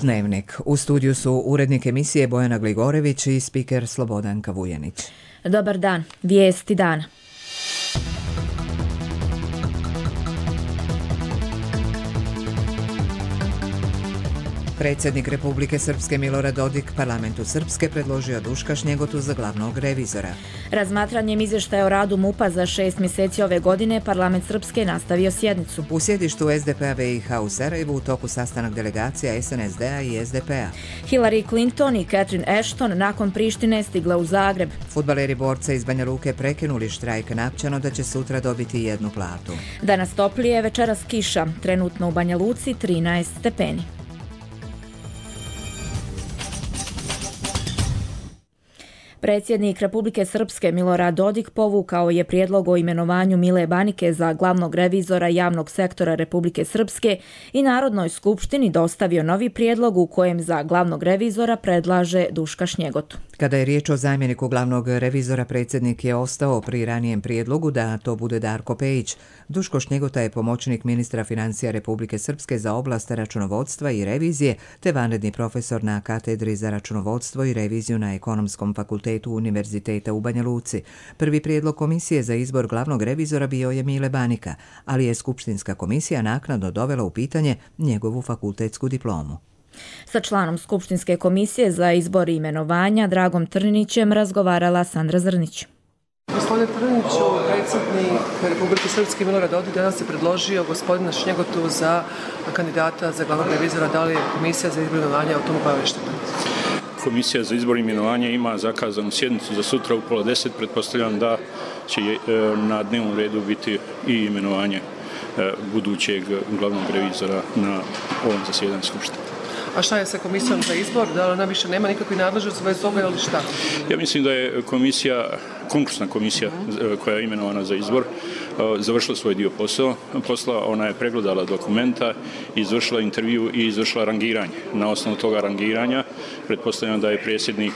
Dnevnik. U studiju su urednik emisije Bojana Gligorević i spiker Slobodanka Vujanić. Dobar dan, vijesti dana. Predsjednik Republike Srpske Milorad Dodik parlamentu Srpske predložio Duška Šnjegotu za glavnog revizora. Razmatranjem izvještaja o radu MUP-a za 6 mjeseci ove godine parlament Srpske nastavio sjednicu. U sjedištu SDP-a BiH u Sarajevu u toku sastanak delegacija SNSD-a i SDP-a. Hillary Clinton i Catherine Ashton nakon Prištine stigle u Zagreb. Fudbaleri borca iz Banja Luke prekinuli štrajk napćano da će sutra dobiti jednu platu. Danas toplije, večeras kiša. Trenutno u Banja Luci 13 stepeni. Predsjednik Republike Srpske Milorad Dodik povukao je prijedlog o imenovanju Mile Banike za glavnog revizora javnog sektora Republike Srpske i Narodnoj skupštini dostavio novi prijedlog u kojem za glavnog revizora predlaže Duška Šnjegotu. Kada je riječ o zamjeniku glavnog revizora, predsjednik je ostao pri ranijem prijedlogu da to bude Darko Pejić. Duško Šnjegota je pomoćnik ministra financija Republike Srpske za oblast računovodstva i revizije, te vanredni profesor na katedri za računovodstvo i reviziju na Ekonomskom fakultetu Univerziteta u Banja Luci. Prvi prijedlog komisije za izbor glavnog revizora bio je Mile Banika, ali je skupštinska komisija naknadno dovela u pitanje njegovu fakultetsku diplomu. Sa članom skupštinske komisije za izbor i imenovanja Dragom Trninićem razgovarala Sandra Zrnić. Gospodine Trniniću, predsjednik Republike Srpske Milorad Dodik danas je predložio gospodina Šnjegotu za kandidata za glavnog revizora. Da li je komisija za izbor i imenovanja o tomu obaveštena? Komisija za izbor i imenovanje ima zakazanu sjednicu za sutra u 9:30. Pretpostavljam da će na dnevnom redu biti i imenovanje budućeg glavnog revizora na ovom zasjedanju skupštine. A šta je sa komisijom za izbor? Da li ona više nema nikakvi nadležnosti bez toga ili šta? Ja mislim da je konkursna komisija koja je imenovana za izbor završila svoj dio posla. Ona je pregledala dokumenta, izvršila intervju i izvršila rangiranje. Na osnovu toga rangiranja pretpostavljam da je predsjednik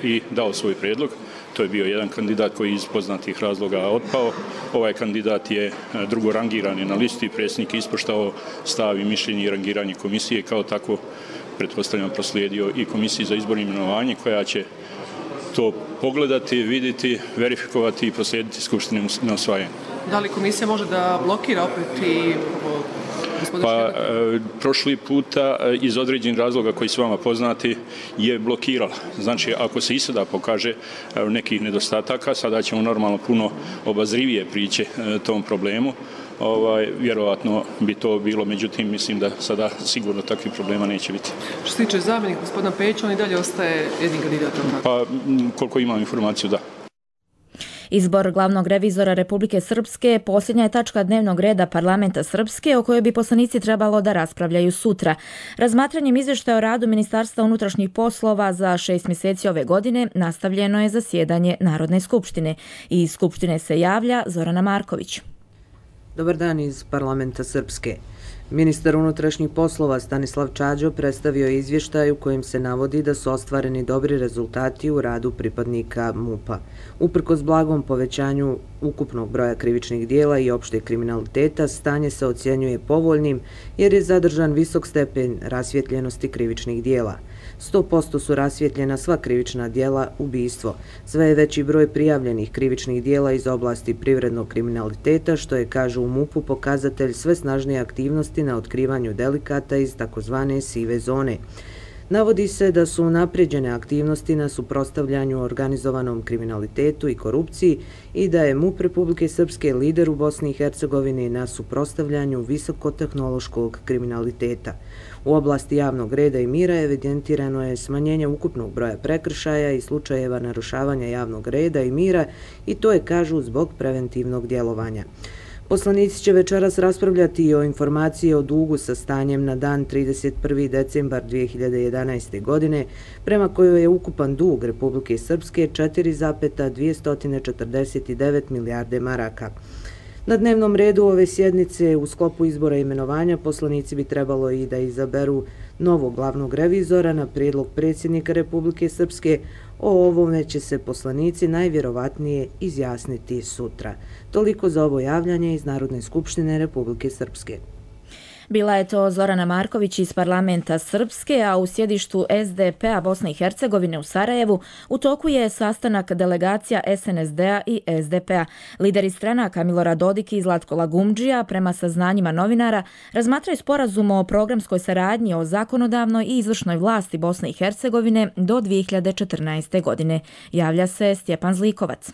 i dao svoj prijedlog. To je bio jedan kandidat koji iz poznatih razloga otpao. Ovaj kandidat je drugo rangiran na listi. Predsjednik je ispoštovao stav i mišljenje i rangiranje komisije. Kao tako, pretpostavljam, proslijedio i komisiji za izbor i imenovanje koja će to pogledati, vidjeti, verifikovati i proslijediti skupštini na usvajanje. Da li komisija može da blokira opet i prošli puta iz određenih razloga koji su vama poznati je blokirala. Znači, ako se i sada pokaže nekih nedostataka, sada ćemo normalno puno obazrivije prići tom problemu. Vjerovatno bi to bilo, međutim, mislim da sada sigurno takvih problema neće biti. Što se tiče zamjenika gospodina Pejića, on i dalje ostaje jednim kandidatom? Pa, koliko imam informaciju, da. Izbor glavnog revizora Republike Srpske posljednja je tačka dnevnog reda parlamenta Srpske o kojoj bi poslanici trebalo da raspravljaju sutra. Razmatranjem izvještaja o radu Ministarstva unutrašnjih poslova za 6 mjeseci ove godine nastavljeno je zasjedanje Narodne skupštine. Iz skupštine se javlja Zorana Marković. Dobar dan iz parlamenta Srpske. Ministar unutrašnjih poslova Stanislav Čađo predstavio je izvještaj u kojem se navodi da su ostvareni dobri rezultati u radu pripadnika MUP-a. Uprkos blagom povećanju ukupnog broja krivičnih dijela i opšteg kriminaliteta, stanje se ocjenjuje povoljnim jer je zadržan visok stepen rasvjetljenosti krivičnih dijela. 100% su rasvjetljena sva krivična dijela ubistvo. Sve je veći broj prijavljenih krivičnih dijela iz oblasti privrednog kriminaliteta, što je, kažu u MUP-u, pokazatelj sve snažnije aktivnosti na otkrivanju delikata iz takozvane sive zone. Navodi se da su unaprijeđene aktivnosti na suprotstavljanju organizovanom kriminalitetu i korupciji i da je MUP Republike Srpske lider u Bosni i Hercegovini na suprotstavljanju visokotehnološkog kriminaliteta. U oblasti javnog reda i mira evidentirano je smanjenje ukupnog broja prekršaja i slučajeva narušavanja javnog reda i mira i to je, kažu, zbog preventivnog djelovanja. Poslanici će večeras raspravljati i o informaciji o dugu sa stanjem na dan 31. decembar 2011. godine, prema kojoj je ukupan dug Republike Srpske 4,249 milijarde maraka. Na dnevnom redu ove sjednice u sklopu izbora i imenovanja poslanici bi trebalo i da izaberu novog glavnog revizora na prijedlog predsjednika Republike Srpske. O ovome će se poslanici najvjerovatnije izjasniti sutra. Toliko za ovo javljanje iz Narodne skupštine Republike Srpske. Bila je to Zorana Marković iz parlamenta Srpske, a u sjedištu SDP-a Bosne i Hercegovine u Sarajevu u toku je sastanak delegacija SNSD-a i SDP-a. Lideri stranaka Milorad Dodik i Zlatko Lagumdžija, prema saznanjima novinara, razmatraju sporazum o programskoj saradnji o zakonodavnoj i izvršnoj vlasti Bosne i Hercegovine do 2014. godine. Javlja se Stjepan Zlikovac.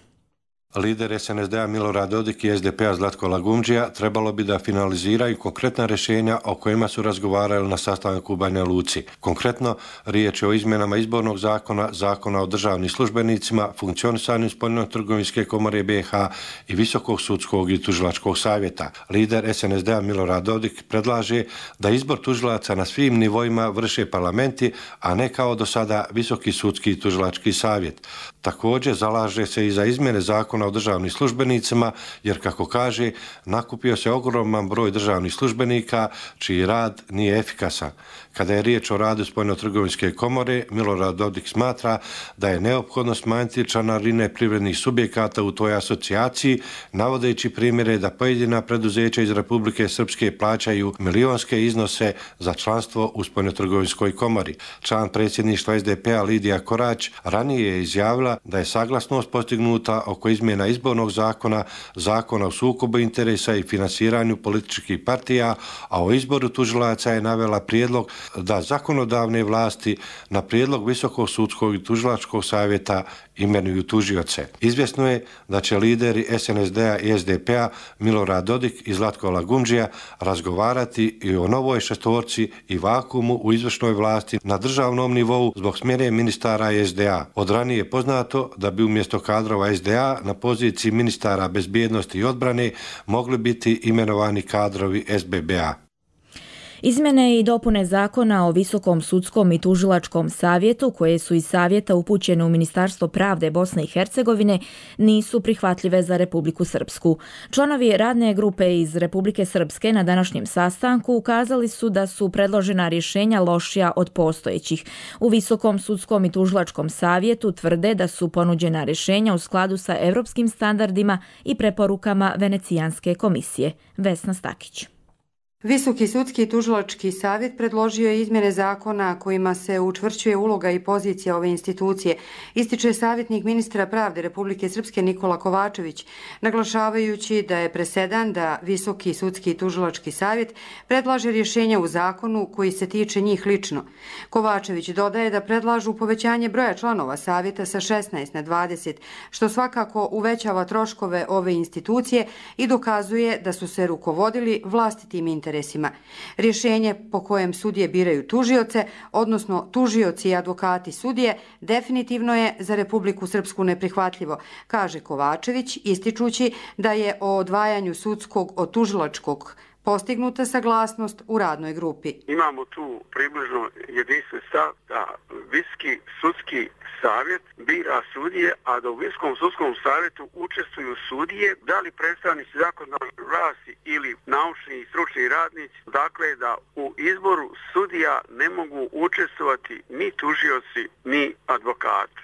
Lider SNSD-a Milorad Dodik i SDP-a Zlatko Lagumdžija trebalo bi da finaliziraju konkretna rješenja o kojima su razgovarali na sastanku u Banja Luci. Konkretno, riječ je o izmjenama izbornog zakona, zakona o državnim službenicima, funkcionisanju Spoljno-trgovinske komore BiH i Visokog sudskog i tužilačkog savjeta. Lider SNSD-a Milorad Dodik predlaže da izbor tužilaca na svim nivoima vrše parlamenti, a ne kao do sada Visoki sudski i tužilački savjet. Također zalaže se i za izmjene zakona o državnim službenicima, jer kako kaže, nakupio se ogroman broj državnih službenika čiji rad nije efikasan. Kada je riječ o radu Spoljno-trgovinske komore, Milorad Dodik smatra da je neophodno smanjiti članarine privrednih subjekata u toj asocijaciji, navodeći primjere da pojedina preduzeća iz Republike Srpske plaćaju milionske iznose za članstvo u Spoljno-trgovinskoj komori. Član predsjedništva SDP-a Lidija Korać ranije je izjavila da je saglasnost postignuta oko izmjena izbornog zakona, zakona o sukobu interesa i finansiranju političkih partija, a o izboru tužilaca je navela prijedlog da zakonodavne vlasti na prijedlog Visokog sudskog i tužilačkog savjeta imenuju tužioce. Izvjesno je da će lideri SNSD-a i SDP-a Milorad Dodik i Zlatko Lagumdžija razgovarati i o novoj šestorci i vakuumu u izvršnoj vlasti na državnom nivou zbog smjene ministara SDA. Od ranije je poznato da bi umjesto kadrova SDA na poziciji ministara bezbjednosti i odbrane mogli biti imenovani kadrovi SBB-a. Izmjene i dopune zakona o Visokom sudskom i tužilačkom savjetu, koje su iz savjeta upućene u Ministarstvo pravde Bosne i Hercegovine, nisu prihvatljive za Republiku Srpsku. Članovi radne grupe iz Republike Srpske na današnjem sastanku ukazali su da su predložena rješenja lošija od postojećih. U Visokom sudskom i tužilačkom savjetu tvrde da su ponuđena rješenja u skladu sa europskim standardima i preporukama Venecijanske komisije. Vesna Stakić. Visoki sudski i tužilački savjet predložio je izmjene zakona kojima se učvršćuje uloga i pozicija ove institucije, ističe savjetnik ministra pravde Republike Srpske Nikola Kovačević, naglašavajući da je presedan da Visoki sudski i tužilački savjet predlaže rješenja u zakonu koji se tiče njih lično. Kovačević dodaje da predlažu povećanje broja članova savjeta sa 16 na 20, što svakako uvećava troškove ove institucije i dokazuje da su se rukovodili vlastitim interesima. Rješenje po kojem sudije biraju tužioce, odnosno tužioci i advokati sudije, definitivno je za Republiku Srpsku neprihvatljivo, kaže Kovačević, ističući da je o odvajanju sudskog od tužilačkog postignuta saglasnost u radnoj grupi. Imamo tu približno jedinstven stav da Visoki sudski savjet bira sudije, a da u Visokom sudskom savjetu učestvuju sudije, da li predstavnici zakonodavne vlasti ili naučni i stručni radnici, dakle da u izboru sudija ne mogu učestvovati ni tužioci ni advokati.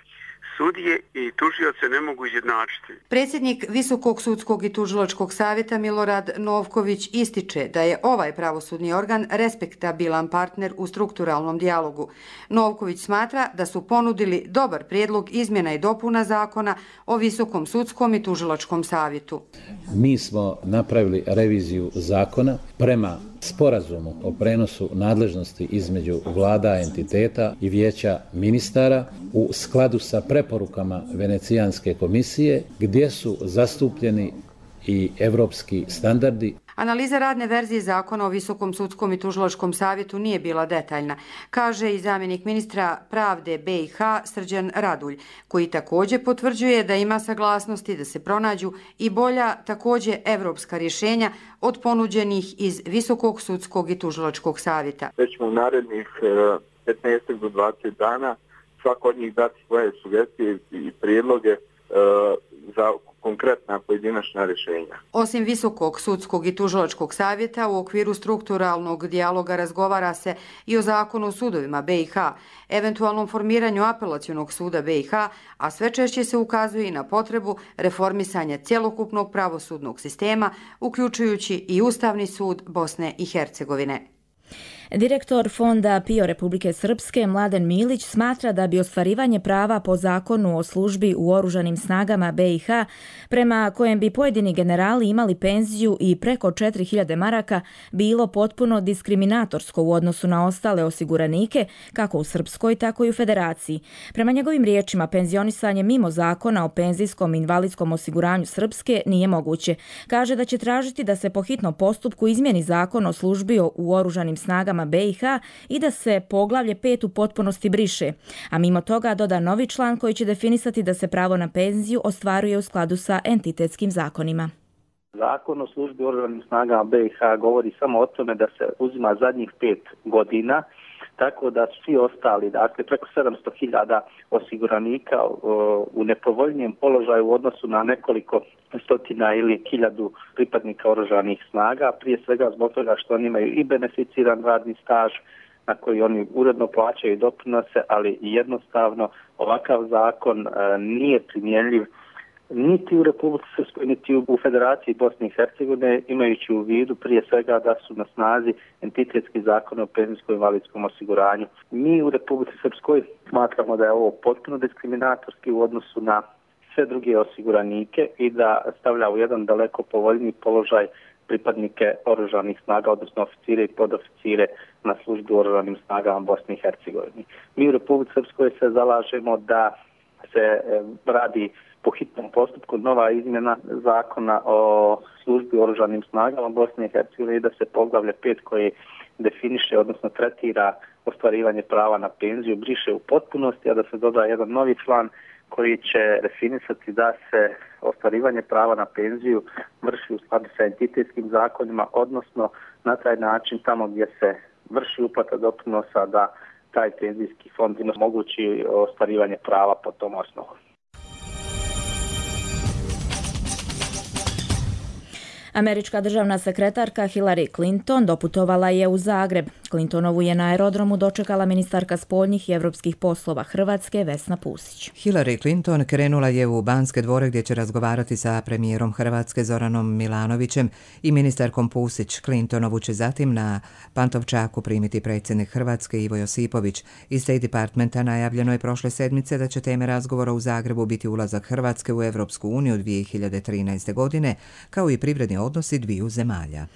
Sudije i tužioce ne mogu izjednačiti. Predsjednik Visokog sudskog i tužilačkog savjeta Milorad Novković ističe da je ovaj pravosudni organ respektabilan partner u strukturalnom dijalogu. Novković smatra da su ponudili dobar prijedlog izmjena i dopuna zakona o Visokom sudskom i tužilačkom savjetu. Mi smo napravili reviziju zakona prema sporazumu o prenosu nadležnosti između vlada entiteta i vijeća ministara u skladu sa preporukama Venecijanske komisije, gdje su zastupljeni i evropski standardi. Analiza radne verzije zakona o Visokom sudskom i tužilačkom savjetu nije bila detaljna, kaže i zamjenik ministra pravde BiH Srđan Radulj, koji također potvrđuje da ima saglasnosti da se pronađu i bolja, također evropska rješenja od ponuđenih iz Visokog sudskog i tužilačkog savjeta. Već ćemo u narednih 15 do 20 dana svako od njih dati svoje sugestije i prijedloge za konkretna pojedinačna rješenja. Osim Visokog sudskog i tužilačkog savjeta, u okviru strukturalnog dijaloga razgovara se i o zakonu o sudovima BiH, eventualnom formiranju apelacionog suda BiH, a sve češće se ukazuje i na potrebu reformisanja cjelokupnog pravosudnog sistema, uključujući i Ustavni sud Bosne i Hercegovine. Direktor Fonda PIO Republike Srpske Mladen Milić smatra da bi ostvarivanje prava po zakonu o službi u oružanim snagama BiH, prema kojem bi pojedini generali imali penziju i preko 4000 maraka, bilo potpuno diskriminatorsko u odnosu na ostale osiguranike, kako u Srpskoj, tako i u Federaciji. Prema njegovim riječima, penzionisanje mimo zakona o penzijskom i invalidskom osiguranju Srpske nije moguće. Kaže da će tražiti da se po hitnom postupku izmijeni zakon o službi u oružanim snagama BiH i da se poglavlje 5 u potpunosti briše, a mimo toga doda novi član koji će definisati da se pravo na penziju ostvaruje u skladu sa entitetskim zakonima. Zakon o službi oružanim snagama BiH govori samo o tome da se uzima zadnjih 5 godina, tako da svi ostali, dakle preko 700.000 osiguranika u nepovoljnijem položaju u odnosu na nekoliko stotina ili 1000 pripadnika oružanih snaga, prije svega zbog toga što oni imaju i beneficiran radni staž na koji oni uredno plaćaju doprinose, ali jednostavno ovakav zakon nije primjenjiv niti u Republici Srpskoj, niti u Federaciji Bosne i Hercegovine, imajući u vidu prije svega da su na snazi entitetski zakon o penzijskom i invalidskom osiguranju. Mi u Republici Srpskoj smatramo da je ovo potpuno diskriminatorski u odnosu na sve druge osiguranike i da stavlja u jedan daleko povoljniji položaj pripadnike oružanih snaga, odnosno oficire i podoficire na službi u oružanim snagama Bosne i Hercegovine. Mi u Republici Srpskoj se zalažemo da se radi po hitnom postupku nova izmjena zakona o službi u oružanim snagama Bosne i Hercegovine i da se poglavlje 5 koje definiše, odnosno tretira ostvarivanje prava na penziju, briše u potpunosti, a da se doda jedan novi član koji će definisati da se ostvarivanje prava na penziju vrši u skladu sa entitetskim zakonima, odnosno na taj način tamo gdje se vrši uplata doprinosa da taj penzijski fond omogući ostvarivanje prava po tom osnovu. Američka državna sekretarka Hillary Clinton doputovala je u Zagreb. Clintonovu je na aerodromu dočekala ministarka spoljnih i evropskih poslova Hrvatske Vesna Pusić. Hillary Clinton krenula je u Banske dvore gdje će razgovarati sa premijerom Hrvatske Zoranom Milanovićem i ministarkom Pusić. Clintonovu će zatim na Pantovčaku primiti predsjednik Hrvatske Ivo Josipović. Iz State Departmenta najavljeno je prošle sedmice da će teme razgovora u Zagrebu biti ulazak Hrvatske u Evropsku uniju 2013. godine, kao i privredni odnosi dviju zemalja.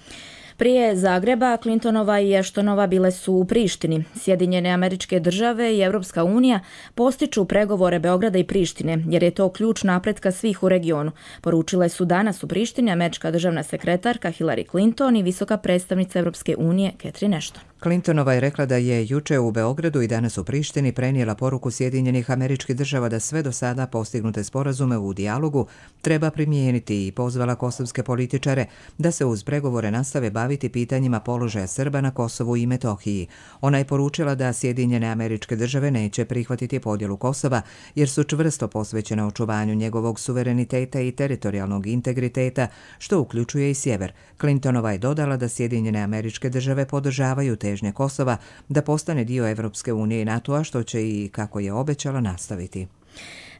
Prije Zagreba, Clintonova i Ashtonova bile su u Prištini. Sjedinjene Američke Države i Evropska unija postiču pregovore Beograda i Prištine, jer je to ključ napretka svih u regionu. Poručile su danas u Prištini američka državna sekretarka Hillary Clinton i visoka predstavnica Evropske unije Catherine Ashton. Clintonova je rekla da je juče u Beogradu i danas u Prištini prenijela poruku Sjedinjenih Američkih Država da sve do sada postignute sporazume u dijalogu treba primijeniti i pozvala kosovske političare da se uz pregovore nastave baviti pitanjima položaja Srba na Kosovu i Metohiji. Ona je poručila da Sjedinjene Američke Države neće prihvatiti podjelu Kosova jer su čvrsto posvećene očuvanju njegovog suvereniteta i teritorijalnog integriteta, što uključuje i sjever. Clintonova je dodala da Sjedinjene Američke Države podržavaju težnje Kosova da postane dio Evropske unije i NATO-a, što će i, kako je obećala, nastaviti.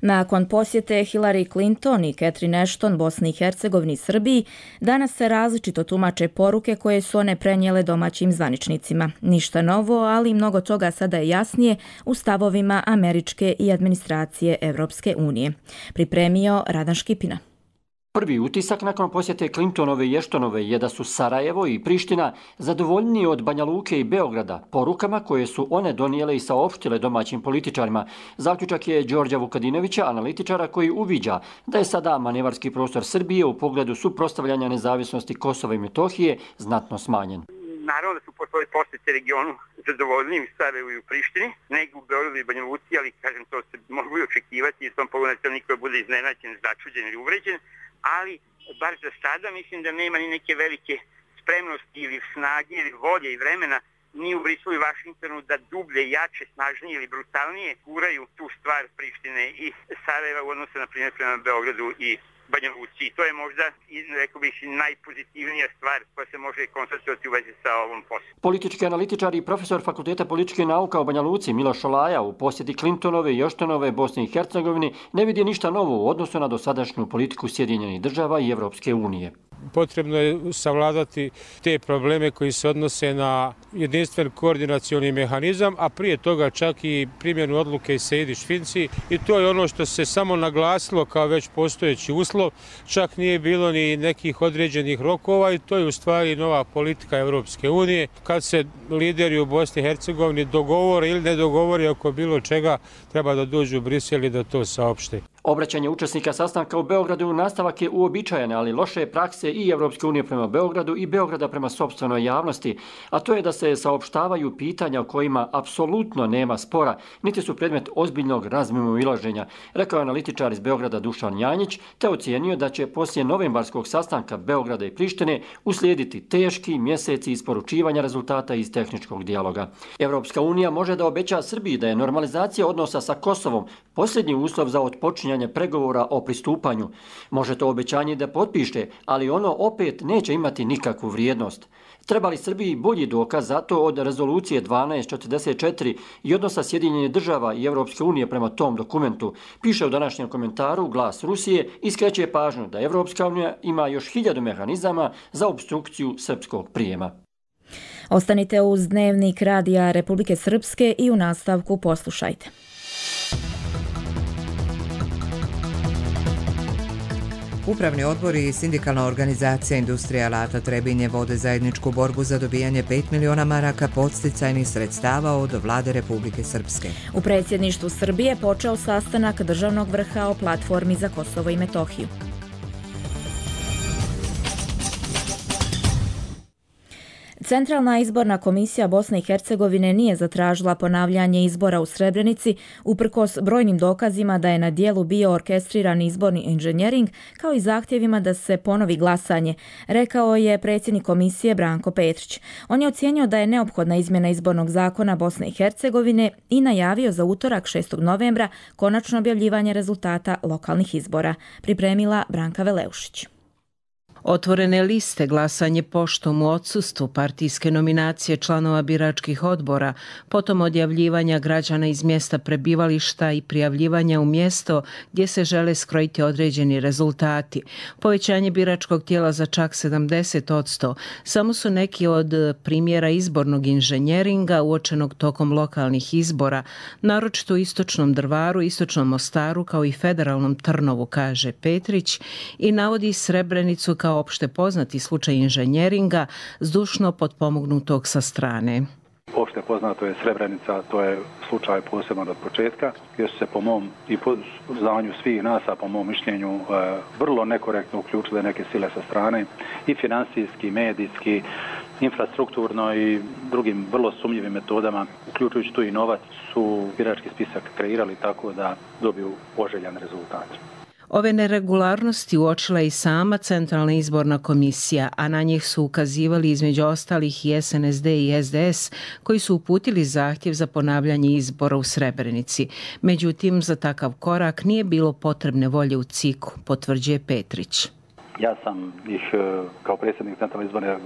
Nakon posjete Hillary Clinton i Catherine Ashton Bosni i Hercegovini i Srbiji, danas se različito tumače poruke koje su one prenijele domaćim zvaničnicima. Ništa novo, ali mnogo toga sada je jasnije u stavovima američke i administracije Evropske unije. Pripremio Radan Škipina. Prvi utisak nakon posjete Clintonove i Ashtonove je da su Sarajevo i Priština zadovoljniji od Banja Luke i Beograda, porukama koje su one donijele i saopštile domaćim političarima. Zaključak je Đorđa Vukadinovića, analitičara koji uviđa da je sada manevarski prostor Srbije u pogledu suprotstavljanja nezavisnosti Kosova i Metohije znatno smanjen. Naravno da su po svojoj posjeti regionu zadovoljniji u Sarajevu i u Prištini, nego u Beogradu i Banja Luci, ali kažem to se mogu i očekivati i u tom pogledu da niko bude iznenađen, začuđen ili uvređen. Ali, bar za sada, mislim da nema ni neke velike spremnosti ili snage ili volje i vremena ni u Briselu i Vašingtonu da dublje, jače, snažnije ili brutalnije guraju tu stvar Prištine i Sarajeva u odnosu, na primjer, prema Beogradu i Banja Luci. I to je možda, rekao bih, najpozitivnija stvar koja se može konstatovati u vezi sa ovom poslom. Politički analitičar i profesor Fakulteta političke nauka u Banja Luci Miloš Šolaja u posjeti Clintonove i Joštanove Bosne i Hercegovine ne vidi ništa novo u odnosu na dosadašnju politiku Sjedinjenih država i Evropske unije. Potrebno je savladati te probleme koji se odnose na jedinstven koordinacioni mehanizam, a prije toga čak i primjenu odluke iz Sejdić-Finci, i to je ono što se samo naglasilo kao već postojeći uslov, čak nije bilo ni nekih određenih rokova i to je u stvari nova politika Evropske unije. Kad se lideri u Bosni i Hercegovini dogovore ili ne dogovore oko bilo čega, treba da dođu u Brisel i da to saopšte. Obraćanje učesnika sastanka u Beogradu nastavak je uobičajene, ali loše prakse i Evropske unije prema Beogradu i Beograda prema sopstvenoj javnosti, a to je da se saopštavaju pitanja o kojima apsolutno nema spora, niti su predmet ozbiljnog razmimoilaženja, rekao je analitičar iz Beograda Dušan Janjić, te ocijenio da će poslije novembarskog sastanka Beograda i Prištine uslijediti teški mjeseci isporučivanja rezultata iz tehničkog dijaloga. Evropska unija može da obeća Srbiji da je normalizacija odnosa sa Kosovom posljednji uslov za otpočinjanje pregovora o pristupanju. Može to obećanje da potpiše, ali ono opet neće imati nikakvu vrijednost. Treba li Srbiji bolji dokaz za to od rezolucije 1244 i odnosa Sjedinjenih država i Evropske unije prema tom dokumentu, piše u današnjem komentaru Glas Rusije i skreće pažnju da Evropska unija ima još 1000 mehanizama za opstrukciju srpskog prijema. Ostanite uz Dnevnik Radija Republike Srpske i u nastavku poslušajte. Upravni odbor i sindikalna organizacija Industrija alata Trebinje vode zajedničku borbu za dobijanje 5 miliona maraka podsticajnih sredstava od vlade Republike Srpske. U predsjedništvu Srbije počeo sastanak državnog vrha o platformi za Kosovo i Metohiju. Centralna izborna komisija Bosne i Hercegovine nije zatražila ponavljanje izbora u Srebrenici uprkos brojnim dokazima da je na dijelu bio orkestriran izborni inženjering, kao i zahtjevima da se ponovi glasanje, rekao je predsjednik komisije Branko Petrić. On je ocijenio da je neophodna izmjena izbornog zakona Bosne i Hercegovine i najavio za utorak 6. novembra konačno objavljivanje rezultata lokalnih izbora. Pripremila Branka Veleušić. Otvorene liste, glasanje poštom u odsustvu, partijske nominacije članova biračkih odbora, potom odjavljivanja građana iz mjesta prebivališta i prijavljivanja u mjesto gdje se žele skrojiti određeni rezultati. Povećanje biračkog tijela za čak 70%. Samo su neki od primjera izbornog inženjeringa uočenog tokom lokalnih izbora, naročito u istočnom Drvaru, istočnom Mostaru kao i federalnom Trnovu, kaže Petrić, i navodi Srebrenicu kao opšte poznati slučaj inženjeringa zdušno potpomognutog sa strane. Opšte poznato je Srebrenica, to je slučaj posebno od početka, gdje su se po mom i po znanju svih nas, a po mom mišljenju vrlo nekorektno uključile neke sile sa strane i financijski, medijski, infrastrukturno i drugim vrlo sumnjivim metodama, uključujući tu i novac, su birački spisak kreirali tako da dobiju poželjan rezultat. Ove neregularnosti uočila i sama Centralna izborna komisija, a na njih su ukazivali između ostalih i SNSD i SDS, koji su uputili zahtjev za ponavljanje izbora u Srebrenici. Međutim, za takav korak nije bilo potrebne volje u CIK-u, potvrđuje Petrić. Ja sam ih kao predsjednik Centralne izborne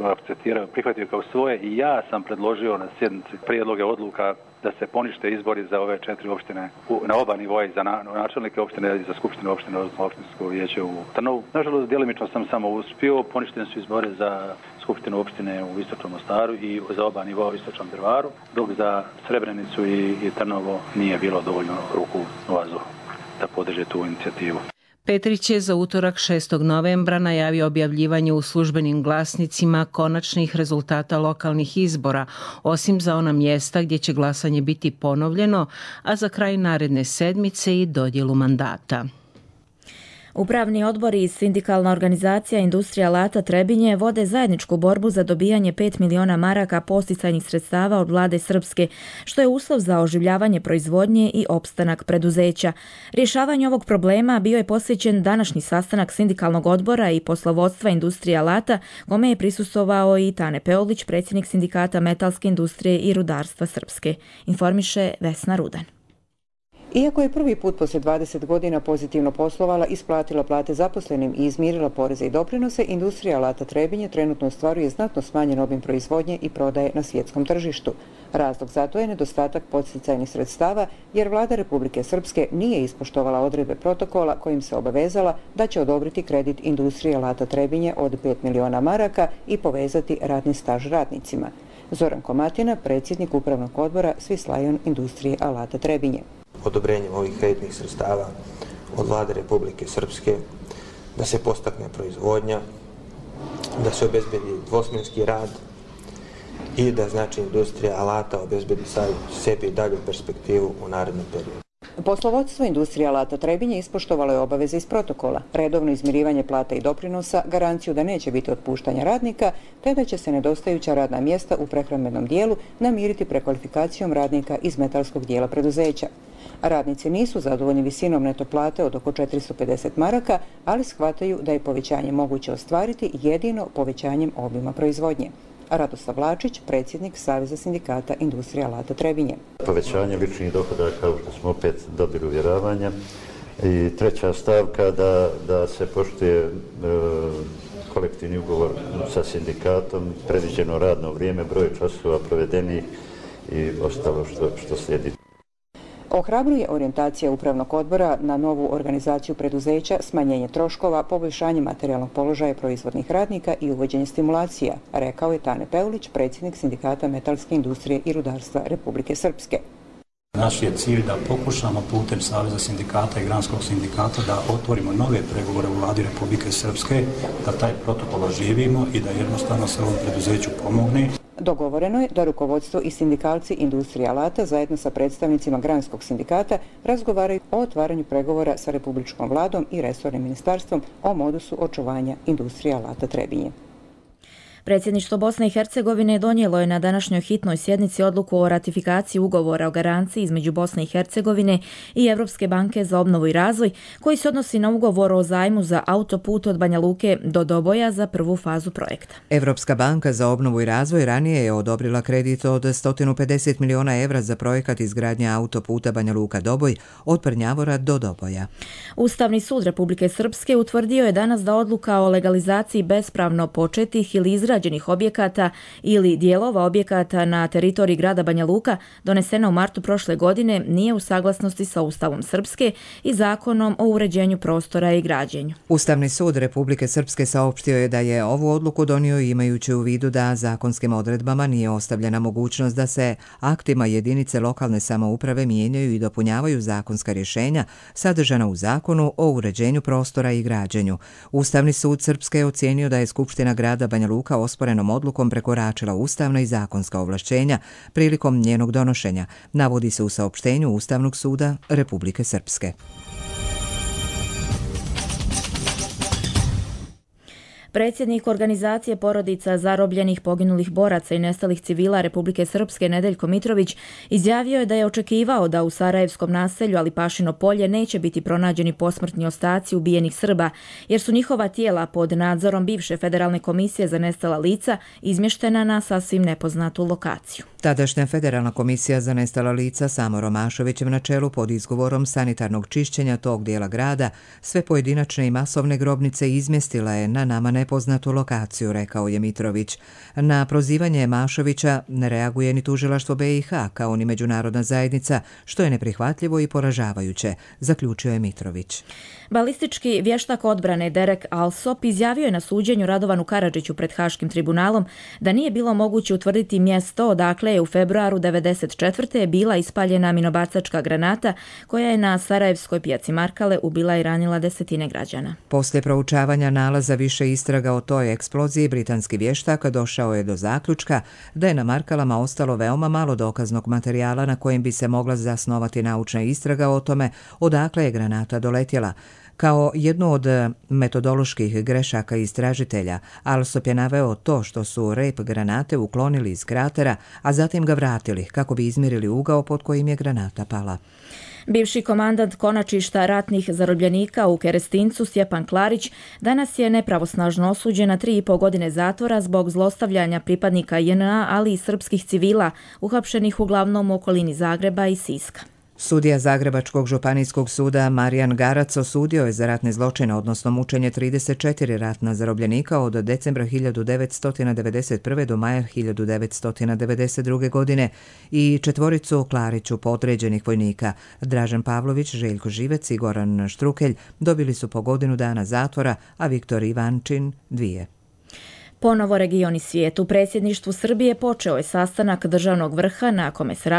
prihvatio kao svoje i ja sam predložio na sjednici prijedloge odluka da se ponište izbori za ove 4 opštine na oba nivoa, i za načelnike opštine i za skupštinu opštine, odnosno opštinsko vijeće u Trnovu. Nažalost, djelimično sam samo uspio, poništeni su izbori za skupštinu opštine u istočnom Mostaru i za oba nivoa u istočnom Drvaru, dok za Srebrenicu i Trnovo nije bilo dovoljno ruku u vazduhu da podrže tu inicijativu. Petrić je za utorak 6. novembra najavio objavljivanje u službenim glasnicima konačnih rezultata lokalnih izbora, osim za ona mjesta gdje će glasanje biti ponovljeno, a za kraj naredne sedmice i dodjelu mandata. Upravni odbor i sindikalna organizacija Industrija alata Trebinje vode zajedničku borbu za dobijanje 5 miliona maraka podsticajnih sredstava od vlade Srpske, što je uslov za oživljavanje proizvodnje i opstanak preduzeća. Rješavanje ovog problema bio je posvećen današnji sastanak sindikalnog odbora i poslovodstva Industrije alata, kome je prisustvovao i Tane Peolić, predsjednik sindikata metalske industrije i rudarstva Srpske. Informiše Vesna Rudan. Iako je prvi put poslije 20 godina pozitivno poslovala, isplatila plate zaposlenim i izmirila poreze i doprinose, industrija alata Trebinje trenutno ostvaruje znatno smanjen obim proizvodnje i prodaje na svjetskom tržištu. Razlog za to je nedostatak podsticajnih sredstava, jer vlada Republike Srpske nije ispoštovala odredbe protokola kojim se obavezala da će odobriti kredit industrije alata Trebinje od 5 miliona maraka i povezati radni staž radnicima. Zoran Komatina, predsjednik upravnog odbora Swiss Lion industrije alata Trebinje. Odobrenjem ovih kreditnih sredstava od vlade Republike Srpske da se podstakne proizvodnja, da se obezbedi dvosmjenski rad i da znači industrija alata obezbedi sebi dalju perspektivu u narednom periodu. Poslovodstvo industrije alata Trebinje ispoštovalo je obaveze iz protokola, redovno izmirivanje plata i doprinosa, garanciju da neće biti otpuštanja radnika, te da će se nedostajuća radna mjesta u prehrambenom dijelu namiriti prekvalifikacijom radnika iz metalskog dijela preduzeća. Radnici nisu zadovoljni visinom neto plate od oko 450 maraka, ali shvataju da je povećanje moguće ostvariti jedino povećanjem obima proizvodnje. Radoslav Vlačić, predsjednik Saveza sindikata industrije alata Trebinje. Povećanje ličnih dohodaka, kao što smo opet dobili uvjeravanja. I treća stavka da se poštuje kolektivni ugovor sa sindikatom, predviđeno radno vrijeme, broj časova provedenih i ostalo što slijedi. Ohrabruje orijentacija upravnog odbora na novu organizaciju preduzeća, smanjenje troškova, poboljšanje materijalnog položaja proizvodnih radnika i uvođenje stimulacija, rekao je Tane Peulić, predsjednik sindikata metalske industrije i rudarstva Republike Srpske. Naš je cilj da pokušamo putem Saveza sindikata i Granskog sindikata da otvorimo nove pregovore u vladi Republike Srpske, da taj protokol oživimo i da jednostavno se ovom preduzeću pomogne. Dogovoreno je da rukovodstvo i sindikalci industrije alata zajedno sa predstavnicima Granskog sindikata razgovaraju o otvaranju pregovora sa Republičkom vladom i resornim ministarstvom o modusu očuvanja industrije alata Trebinje. Predsjedništvo Bosne i Hercegovine donijelo je na današnjoj hitnoj sjednici odluku o ratifikaciji ugovora o garanciji između Bosne i Hercegovine i Europske banke za obnovu i razvoj, koji se odnosi na ugovor o zajmu za autoput od Banja Luke do Doboja za prvu fazu projekta. Europska banka za obnovu i razvoj ranije je odobrila kredit od 150 miliona evra za projekat izgradnje autoputa Banja Luka-Doboj od Prnjavora do Doboja. Ustavni sud Republike Srpske utvrdio je danas da odluka o legalizaciji bespravno početih ili izgrađenih objekata ili dijelova objekata na teritoriji grada Banja Luka donesena u martu prošle godine nije u saglasnosti sa Ustavom Srpske i Zakonom o uređenju prostora i građenju. Ustavni sud Republike Srpske saopštio je da je ovu odluku donio imajući u vidu da zakonskim odredbama nije ostavljena mogućnost da se aktima jedinice lokalne samouprave mijenjaju i dopunjavaju zakonska rješenja sadržana u Zakonu o uređenju prostora i građenju. Ustavni sud Srpske je ocijenio da je Skupština grada Banja Luka osporenom odlukom prekoračila ustavna i zakonska ovlašćenja prilikom njenog donošenja, navodi se u saopštenju Ustavnog suda Republike Srpske. Predsjednik organizacije porodica zarobljenih, poginulih boraca i nestalih civila Republike Srpske Nedeljko Mitrović izjavio je da je očekivao da u sarajevskom naselju Alipašino polje neće biti pronađeni posmrtni ostaci ubijenih Srba, jer su njihova tijela pod nadzorom bivše Federalne komisije za nestala lica izmještena na sasvim nepoznatu lokaciju. Tadašnja Federalna komisija za nestala lica Samo Romašovićem na čelu pod izgovorom sanitarnog čišćenja tog dijela grada sve pojedinačne i masovne grobnice izmjestila je na nama nepoznatu lokaciju, rekao je Mitrović. Na prozivanje Mašovića ne reaguje ni tužilaštvo BiH kao ni međunarodna zajednica, što je neprihvatljivo i poražavajuće, zaključio je Mitrović. Balistički vještak odbrane Derek Alsop izjavio je na suđenju Radovanu Karadžiću pred Haškim tribunalom da nije bilo moguće utvrditi mjesto odakle je u februaru 1994. bila ispaljena minobacačka granata koja je na sarajevskoj pijaci Markale ubila i ranila desetine građana. Poslije proučavanja nalaza više istraga o toj eksploziji, britanski vještak došao je do zaključka da je na Markalama ostalo veoma malo dokaznog materijala na kojem bi se mogla zasnovati naučna istraga o tome odakle je granata doletjela. Kao jednu od metodoloških grešaka istražitelja, Alsop je naveo to što su rep granate uklonili iz kratera, a zatim ga vratili kako bi izmjerili ugao pod kojim je granata pala. Bivši komandant konačišta ratnih zarobljenika u Kerestincu Stjepan Klarić danas je nepravosnažno osuđen na 3,5 godine zatvora zbog zlostavljanja pripadnika JNA, ali i srpskih civila uhapšenih uglavnom u okolini Zagreba i Siska. Sudija Zagrebačkog županijskog suda Marijan Garac osudio je za ratne zločine, odnosno mučenje 34 ratna zarobljenika od decembra 1991. do maja 1992. godine i 4 Klariću podređenih vojnika. Dražen Pavlović, Željko Živec i Goran Štrukelj dobili su po godinu dana zatvora, a Viktor Ivančin 2. Ponovo region i svijet. U predsjedništvu Srbije počeo je sastanak državnog vrha na kome se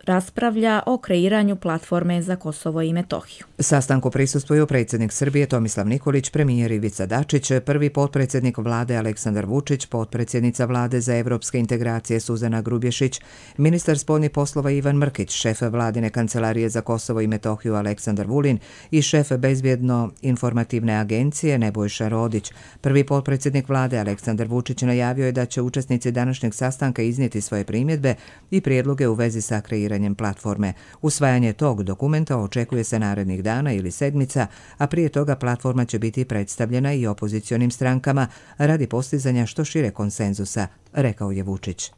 raspravlja o kreiranju platforme za Kosovo i Metohiju. Sastanku prisustvuju predsjednik Srbije Tomislav Nikolić, premijer Ivica Dačić, prvi potpredsjednik vlade Aleksandar Vučić, potpredsjednica vlade za evropske integracije Suzana Grubješić, ministar spoljnih poslova Ivan Mrkić, šef vladine kancelarije za Kosovo i Metohiju Aleksandar Vulin i šef bezbjedno-informativne agencije Nebojša Rodić. Prvi potpredsjednik vlade Aleksandar Vučić najavio je da će učesnici današnjeg sastanka iznijeti svoje primjedbe i prijedloge u vezi sa kreiranjem platforme. Usvajanje tog dokumenta očekuje se narednih dana ili sedmica, a prije toga platforma će biti predstavljena i opozicionim strankama radi postizanja što šire konsenzusa, rekao je Vučić.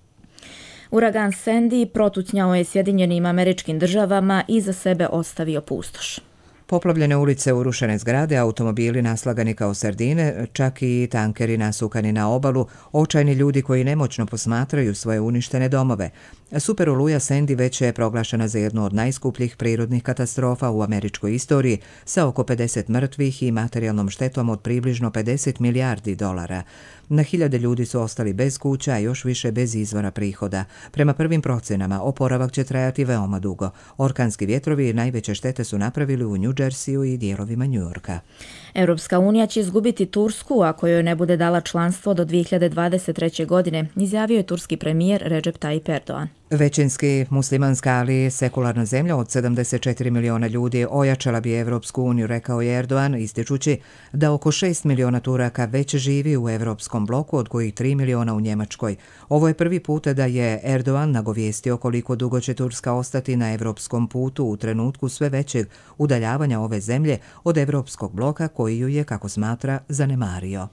Uragan Sandy protucnjao je Sjedinjenim Američkim Državama i za sebe ostavio pustoš. Poplavljene ulice, urušene zgrade, automobili naslagani kao sardine, čak i tankeri nasukani na obalu, očajni ljudi koji nemoćno posmatraju svoje uništene domove. Super oluja Sandy već je proglašena za jednu od najskupljih prirodnih katastrofa u američkoj istoriji, sa oko 50 mrtvih i materijalnom štetom od približno $50 milijardi. Na hiljade ljudi su ostali bez kuća, a još više bez izvora prihoda. Prema prvim procenama, oporavak će trajati veoma dugo. Orkanski vjetrovi najveće štete su napravili u New Jerseyu i dijelovima New Yorka. Europska unija će izgubiti Tursku ako joj ne bude dala članstvo do 2023. godine, izjavio je turski premijer Recep Tayyip Erdogan. Većinski muslimanska, ali sekularna zemlja od 74 miliona ljudi ojačala bi Evropsku uniju, rekao je Erdogan, ističući da oko 6 miliona Turaka već živi u Evropskom bloku, od kojih 3 miliona u Njemačkoj. Ovo je prvi put da je Erdogan nagovijestio koliko dugo će Turska ostati na evropskom putu u trenutku sve većeg udaljavanja ove zemlje od Evropskog bloka koji ju je, kako smatra, zanemario.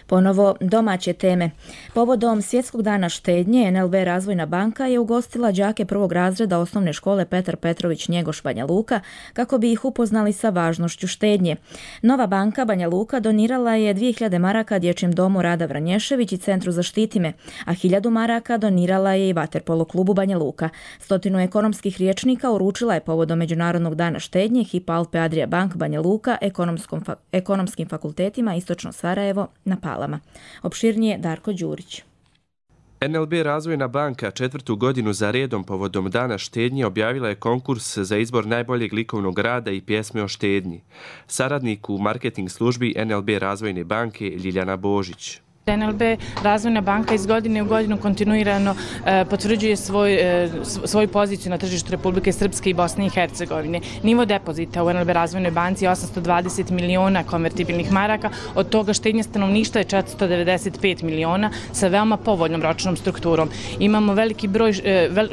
Ponovo domaće teme. Povodom Svjetskog dana štednje, NLB Razvojna banka je ugostila đake prvog razreda osnovne škole Petar Petrović Njegoš Banja Luka kako bi ih upoznali sa važnošću štednje. Nova banka Banja Luka donirala je 2000 maraka Dječjem domu Rada Vranješević i Centru Zaštiti me, a 1000 maraka donirala je i Vaterpolo klubu Banja Luka. 100 ekonomskih rječnika uručila je povodom Međunarodnog dana štednje Hypo Alpe Adria Bank Banja Luka ekonomskim fakultetima Istočno Sarajevo na Palama. Opširnije Darko Đurić. NLB Razvojna banka 4. godinu za redom povodom dana štednje objavila je konkurs za izbor najboljeg likovnog rada i pjesme o štednji. Saradnik u marketing službi NLB Razvojne banke Ljiljana Božić. NLB Razvojna banka iz godine u godinu kontinuirano potvrđuje svoju poziciju na tržištu Republike Srpske i Bosne i Hercegovine. Nivo depozita u NLB Razvojnoj banci je 820 miliona konvertibilnih maraka, od toga štednja stanovništva je 495 miliona sa veoma povoljnom ročnom strukturom. Imamo veliki broj,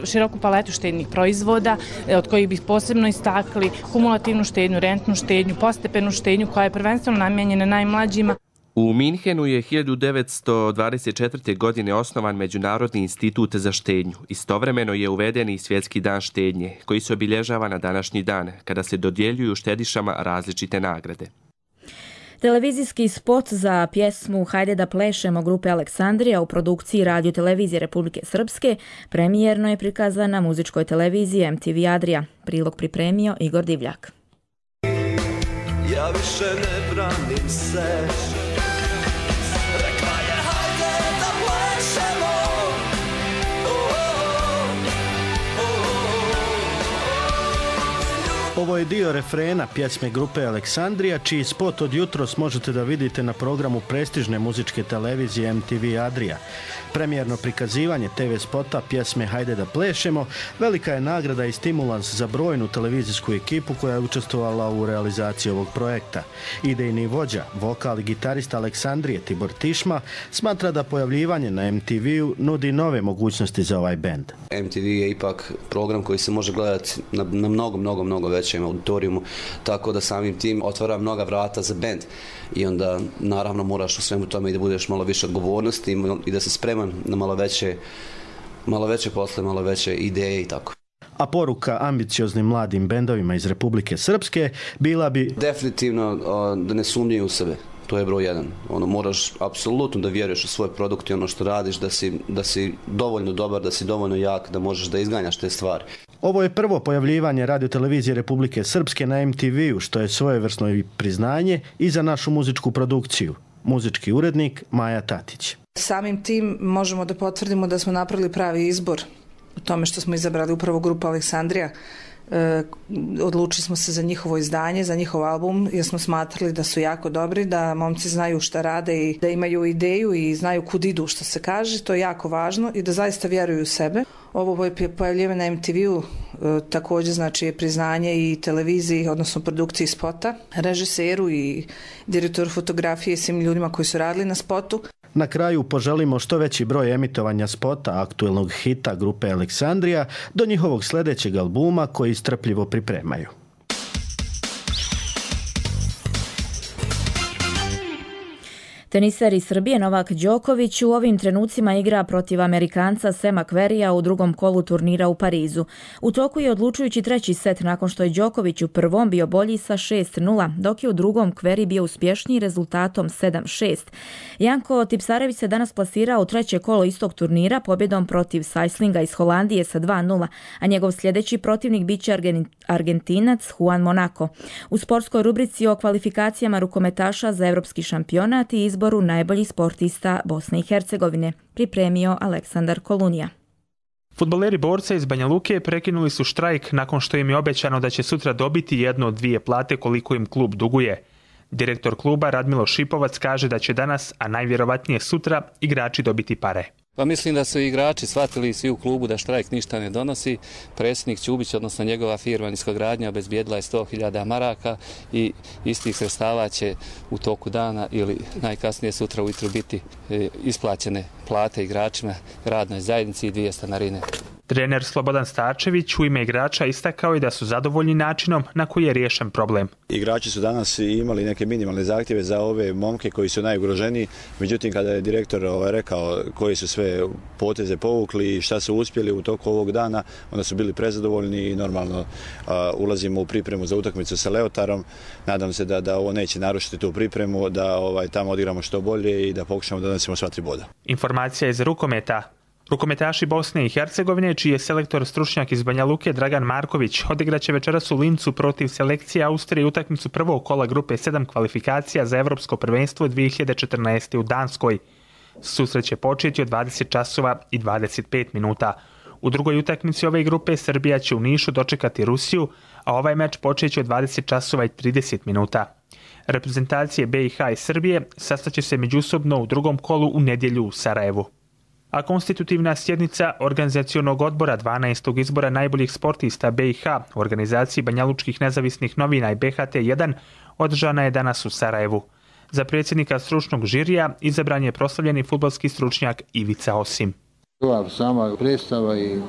široku paletu štednih proizvoda, od kojih bih posebno istakli kumulativnu štednju, rentnu štednju, postepenu štednju koja je prvenstveno namijenjena najmlađima. U Minhenu je 1924. godine osnovan Međunarodni institut za štednju. Istovremeno je uveden i Svjetski dan štednje, koji se obilježava na današnji dan, kada se dodjeljuju štedišama različite nagrade. Televizijski spot za pjesmu Hajde da plešemo grupe Aleksandrija u produkciji Radio televizije Republike Srpske premijerno je prikazan na muzičkoj televiziji MTV Adria. Prilog pripremio Igor Divljak. Ja više ne branim se. Ovo je dio refrena pjesme grupe Aleksandrija, čiji spot od jutros možete da vidite na programu prestižne muzičke televizije MTV Adria. Premijerno prikazivanje TV spota pjesme Hajde da plešemo velika je nagrada i stimulans za brojnu televizijsku ekipu koja je učestvovala u realizaciji ovog projekta. Idejni vođa, vokal i gitarista Aleksandrije Tibor Tišma smatra da pojavljivanje na MTV-u nudi nove mogućnosti za ovaj bend. MTV je ipak program koji se može gledati na mnogo većem auditorijumu, tako da samim tim otvara mnoga vrata za bend. I onda naravno moraš u svemu tome i da budeš malo više odgovornosti i da se spreman na malo veće posle, malo veće ideje i tako. a poruka ambicioznim mladim bendovima iz Republike Srpske bila bi definitivno da ne sumnjaju u sebe. To je broj jedan. Moraš apsolutno da vjeruješ u svoj produkt i ono što radiš, da si dovoljno dobar, da si dovoljno jak, da možeš da izganjaš te stvari. Ovo je prvo pojavljivanje radiotelevizije Republike Srpske na MTV-u, što je svojevrsno i priznanje i za našu muzičku produkciju. Muzički urednik Maja Tatić. Samim tim možemo da potvrdimo da smo napravili pravi izbor u tome što smo izabrali upravo grupu Aleksandrija. Odlučili smo se za njihovo izdanje, za njihov album, jer smo smatrali da su jako dobri, da momci znaju šta rade i da imaju ideju i znaju kud idu, što se kaže. To je jako važno i da zaista vjeruju u sebe. Ovo pojavljivanje na MTV-u također znači je priznanje i televiziji, odnosno produkciji spota, režiseru i direktoru fotografije i svim ljudima koji su radili na spotu. Na kraju poželimo što veći broj emitovanja spota aktuelnog hita grupe Aleksandrija do njihovog sljedećeg albuma koji strpljivo pripremaju. Teniser iz Srbije Novak Đoković u ovim trenucima igra protiv Amerikanca Sema Querrya u drugom kolu turnira u Parizu. U toku je odlučujući treći set nakon što je Đoković u prvom bio bolji sa 6-0, dok je u drugom Querrey bio uspješniji rezultatom 7-6. Janko Tipsarević se danas plasirao u treće kolo istog turnira pobjedom protiv Sajslinga iz Holandije sa 2-0, a njegov sljedeći protivnik biće Argentinac Juan Monaco. U sportskoj rubrici o kvalifikacijama rukometaša za evropski šampionat i izboru najboljih sportista Bosne i Hercegovine pripremio Aleksandar Kolunija. Fudbaleri Borca iz Banja Luke prekinuli su štrajk nakon što im je obećano da će sutra dobiti jednu od dvije plate koliko im klub duguje. Direktor kluba Radmilo Šipovac kaže da će danas, a najvjerovatnije sutra, igrači dobiti pare. Pa mislim da su igrači shvatili svi u klubu da štrajk ništa ne donosi. Predsjednik Ćubić, odnosno njegova firma Niskogradnja, obezbijedila je 100.000 maraka i iz tih sredstava će u toku dana ili najkasnije sutra ujutro biti isplaćene plate igračima, radnoj zajednici i 2 stanarine. Trener Slobodan Starčević u ime igrača istakao je da su zadovoljni načinom na koji je riješen problem. Igrači su danas imali neke minimalne zahtjeve za ove momke koji su najugroženiji, međutim kada je direktor rekao koji su sve poteze povukli i šta su uspjeli u toku ovog dana, onda su bili prezadovoljni i normalno ulazimo u pripremu za utakmicu sa Leotarom. Nadam se da ovo neće narušiti tu pripremu, da tamo odigramo što bolje i da pokušamo da donesemo sva 3 boda. Informacija iz rukometa. Rukometaši Bosne i Hercegovine, čiji je selektor stručnjak iz Banja Luke Dragan Marković, odigraće večeras u Lincu protiv selekcije Austrije utakmicu prvog kola grupe 7 kvalifikacija za Evropsko prvenstvo 2014. u Danskoj. Susret će početi od 20 časova i 25 minuta. U drugoj utakmici ove grupe Srbija će u Nišu dočekati Rusiju, a ovaj meč počeće od 20 časova i 30 minuta. Reprezentacije BiH i Srbije sastaće se međusobno u drugom kolu u nedjelju u Sarajevu. A konstitutivna sjednica organizacionog odbora 12. izbora najboljih sportista BiH u organizaciji Banjalučkih nezavisnih novina i BHT1 održana je danas u Sarajevu. Za predsjednika stručnog žirija izabran je proslavljeni fudbalski stručnjak Ivica Osim. Ova sama predstava i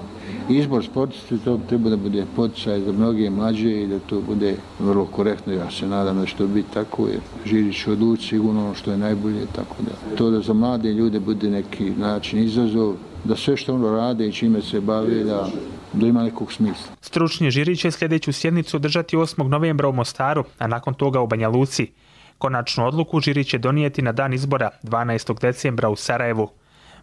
izbor sportista, to treba da bude poticaj za mnoge mlađe i da to bude vrlo korektno. Ja se nadam da će to biti tako, jer žiri će odlučiti sigurno ono što je najbolje, tako da to da za mlade ljude bude neki način izazov, da sve što ono rade i čime se bave, da ima nekog smisla. Stručni žiri će sljedeću sjednicu održati 8. novembra u Mostaru, a nakon toga u Banja Luci. Konačnu odluku žiri će donijeti na dan izbora 12. decembra u Sarajevu.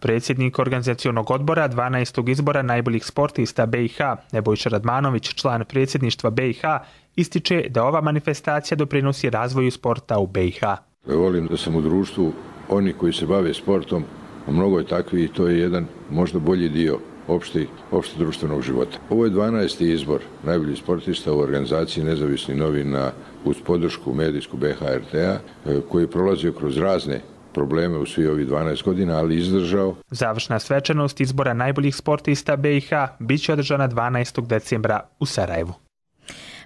Predsjednik organizacionog odbora 12. izbora najboljih sportista BiH, Nebojša Radmanović, član predsjedništva BiH, ističe da ova manifestacija doprinosi razvoju sporta u BiH. Volim da sam u društvu oni koji se bave sportom, a mnogo je takvi i to je jedan možda bolji dio opšte društvenog života. Ovo je 12. izbor najboljih sportista u organizaciji nezavisnih novina uz podršku medijsku BHRT-a koji je prolazio kroz razne probleme u svi ovih 12 godina, ali izdržao. Završna svečanost izbora najboljih sportista BiH bit će održana 12. decembra u Sarajevu.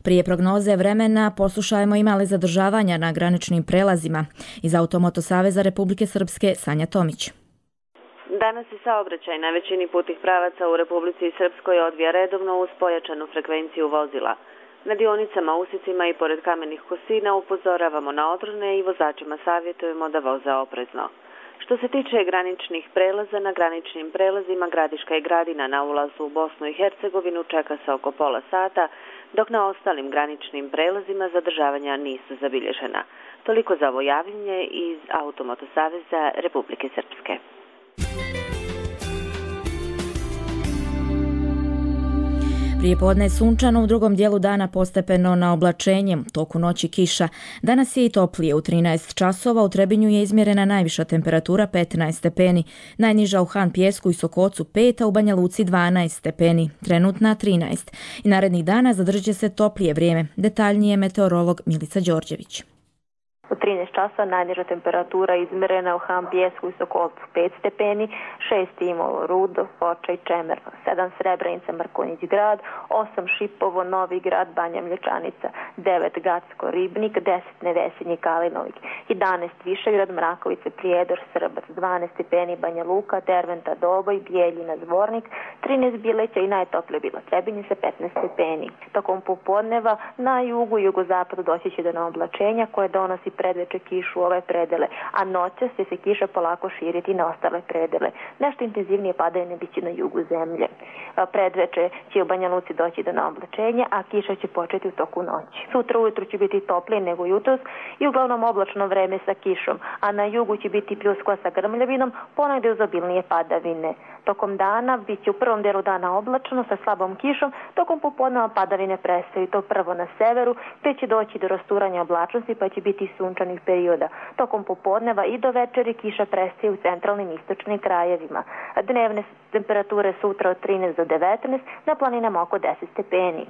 Prije prognoze vremena poslušajmo ima li zadržavanja na graničnim prelazima. Iz Automoto Saveza Republike Srpske Sanja Tomić. Danas je saobraćaj na većini putnih pravaca u Republici Srpskoj odvija redovno uz pojačanu frekvenciju vozila. Na dionicama, usicima i pored kamenih kosina upozoravamo na odrone i vozačima savjetujemo da voze oprezno. Što se tiče graničnih prelaza, na graničnim prelazima Gradiška i Gradina na ulazu u Bosnu i Hercegovinu čeka se oko pola sata, dok na ostalim graničnim prelazima zadržavanja nisu zabilježena. Toliko za ovo javljanje iz Automoto Saveza Republike Srpske. Prije podne sunčano, u drugom dijelu dana postepeno na oblačenje, toku noći kiša. Danas je i toplije, u 13 časova u Trebinju je izmjerena najviša temperatura 15 stepeni, najniža u Han Pjesku i Sokocu 5, a u Banja Luci 12 stepeni, trenutna 13. I narednih dana zadržat će se toplije vrijeme, detaljnije meteorolog Milica Đorđević. U 13 časa najniža temperatura izmjerena u Han Pjesku i Sokolcu 5 stepeni, 6 Timolo, Rudo, Foča i Čemerno, 7 Srebrenica, Mrkonjić grad, 8 Šipovo, Novi grad, Banja Mlječanica, 9 Gacko, Ribnik, 10 Nevesinje, Kalinovik, 11 Višegrad, Mrakovice, Prijedor, Srbac, 12 stepeni Banja Luka, Derventa, Doboj, Bijeljina, Zvornik, 13 Bileća i najtoplije bilo Trebinje sa 15 stepeni. Tokom popodneva na jugu i jugozapadu doći će do oblačenja koje donosi predveče kišu u ove predele, a noćas će se kiša polako širiti na ostale predele. Nešto intenzivnije padanje biće na jugu zemlje. Predveče će u Banja Luci doći do oblačenja, a kiša će početi u toku noći. Sutra ujutru će biti toplije nego jutros i uglavnom oblačno vreme sa kišom, a na jugu će biti pljuskova sa grmljavinom, ponegdje uz obilnije padavine. Tokom dana bit će u prvom delu dana oblačno sa slabom kišom, tokom popodneva padavine prestaju, to prvo na severu, te će doći do rasturanja oblačnosti pa će biti sunčanih perioda. Tokom popodneva i do večeri kiša prestaje u centralnim i istočnim krajevima. Dnevne temperature sutra od 13 do 19, na planinama oko 10 stepeni.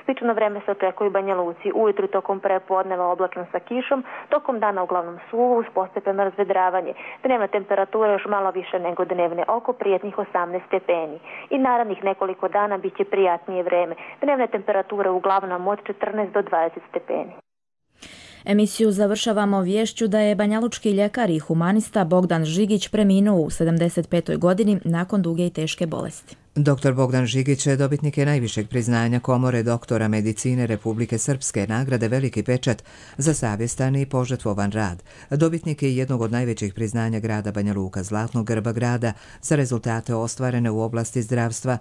Slično vreme se očekuje u Banja Luci, ujutru tokom prepodneva oblačno sa kišom, tokom dana uglavnom suvo uz postepeno razvedravanje. Dnevna temperatura još malo više nego dnevne, oko prijetnih 18 stepeni. I narednih nekoliko dana bit će prijatnije vreme. Dnevne temperature uglavnom od 14 do 20 stepeni. Emisiju završavamo viješću da je banjalučki ljekar i humanista Bogdan Žigić preminuo u 75. godini nakon duge i teške bolesti. Dr. Bogdan Žigić je dobitnik najvišeg priznanja Komore doktora medicine Republike Srpske, nagrade Veliki pečat za savjestan i požrtvovan rad. Dobitnik je jednog od najvećih priznanja grada Banja Luka, Zlatnog grba grada, za rezultate ostvarene u oblasti zdravstva,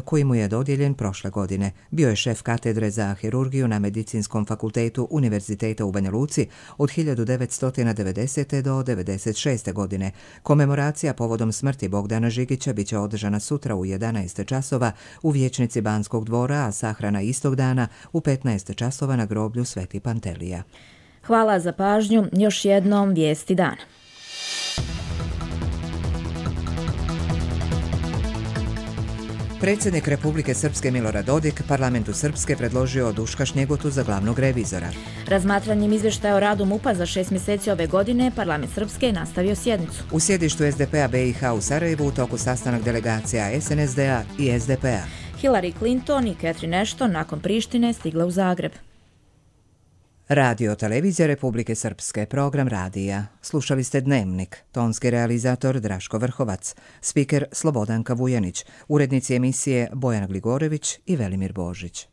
koji mu je dodijeljen prošle godine. Bio je šef katedre za hirurgiju na Medicinskom fakultetu Univerziteta u Banja Luci od 1990. do 1996. godine. Komemoracija povodom smrti Bogdana Žigića biće održana sutra u 11 časova u vijećnici Banskog dvora, a sahrana istog dana u 15 časova na groblju Sveti Pantelija. Hvala za pažnju. Još jednom vijesti dana. Predsjednik Republike Srpske Milorad Dodik parlamentu Srpske predložio Duška Šnjegotu za glavnog revizora. Razmatranjem izvještaja o radu MUP-a za 6 mjeseci ove godine, parlament Srpske je nastavio sjednicu. U sjedištu SDP-a BiH u Sarajevu u toku sastanak delegacija SNSD-a i SDP-a. Hillary Clinton i Catherine Ashton nakon Prištine stigle u Zagreb. Radio televizija Republike Srpske, program radija. Slušali ste Dnevnik, tonski realizator Draško Vrhovac, spiker Slobodanka Vujanić, urednici emisije Bojana Gligorević i Velimir Božić.